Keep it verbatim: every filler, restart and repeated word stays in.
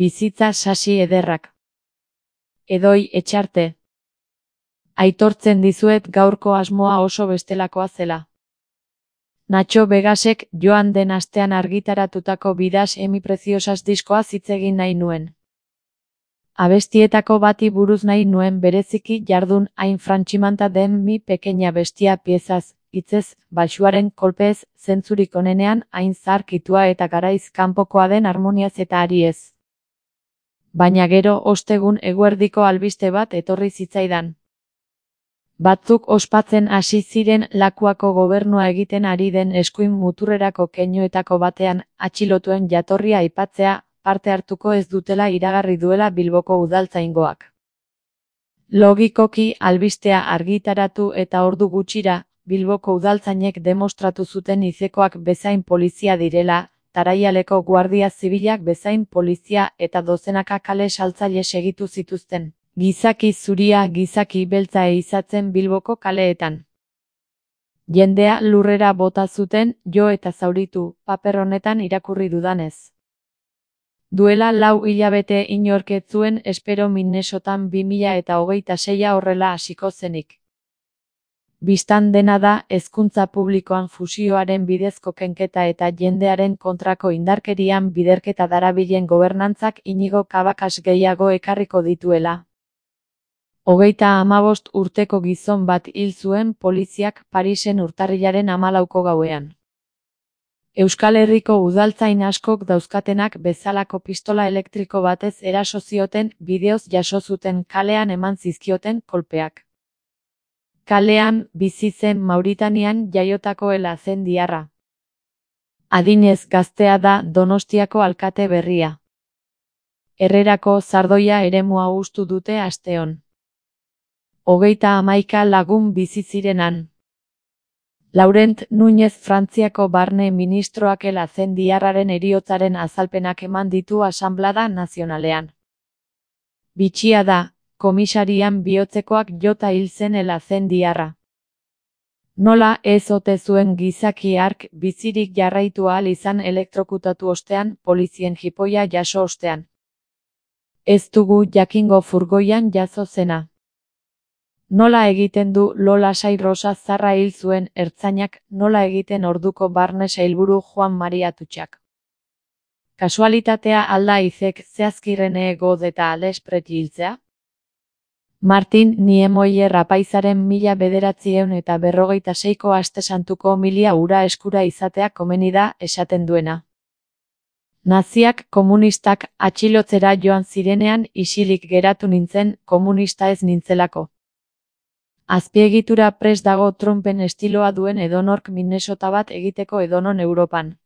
bizitza sasi ederrak. Edoi Etxarte. Aitortzen dizuet gaurko asmoa oso bestelakoa zela. Nacho Vegasek joan den astean argitaratutako Vidas emi preciosas diskoa hitz egin nahi nuen. Abestietako bati buruz nahi nuen bereziki jardun hain frantximanta den mi pequeña bestia piezaz, hitzez, baxuaren kolpez, zentzurik onenean hain zaharkitua eta garaiz kanpokoa den harmoniaz eta ariez. Baina gero ostegun eguerdiko albiste bat etorri zitzaidan. Batzuk ospatzen hasi ziren Lakuako gobernua egiten ari den eskuin muturrerako keinuetako batean atxilotuen jatorria aipatzea parte hartuko ez dutela iragarri duela Bilboko udaltzaingoak. Logikoki albistea argitaratu eta ordu gutxira, Bilboko udaltzainek demostratu zuten izekoak bezain polizia direla, Taraialeko guardia zibilak bezain polizia eta dozenaka kale saltzaile segitu zituzten. Gizaki zuria gizaki beltza ehizatzen Bilboko kaleetan. Jendea lurrera bota zuten jo eta zauritu, paper honetan irakurri dudanez. Duela lau hilabete inork ez zuen espero Minnesotan bi mila eta hogeita seia horrela hasiko zenik. Bistan dena da hezkuntza publikoan fusioaren bidezko kenketa eta jendearen kontrako indarkerian biderketa darabilen gobernantzak Inigo Cabacas gehiago ekarriko dituela. Hogeita hamabost urteko gizon bat hil zuen poliziak Parisen urtarrilaren hamalauko gauean. Euskal Herriko udaltzain askok dauzkatenak bezalako pistola elektriko batez eraso zioten bideoz jaso zuten kalean eman zizkioten kolpeak. Kalean bizi zen Mauritanian jaiotako ela zen diarra. Adinez gaztea da Donostiako alkate berria. Herrerako Zardoia eremua hustu dute asteon. Hogeita hamaika lagun bizi zirenan. Laurent Núñez Frantziako barne ministroak ela zen diarraren heriotzaren azalpenak eman ditu Asanblada Nazionalean. Bitxia da, komisarian bihotzekoak jota hil zen ela zen diarra. Nola ez ote zuen gizaki hark bizirik jarraitu ahal izan elektrokutatu ostean polizien jipoia jaso ostean. Ez dugu jakingo furgoian jazo zena. Nola egiten du Lola Sai Rosa Zarra hil zuen ertzainak, nola egiten orduko barne sailburu Juan Mari Atutxak. Kasualitatea alda izek zehazkirrene God eta Alex Preti hiltzea? Martin Niemöller apaizaren mila bederatziehun eta berrogeita seiko aste santuko milia ura eskura izatea komeni da esaten duena. Naziak komunistak atxilotzera joan zirenean isilik geratu nintzen komunista ez nintzelako. Azpiegitura prest dago Trumpen estiloa duen edonork Minnesota bat egiteko edonon Europan.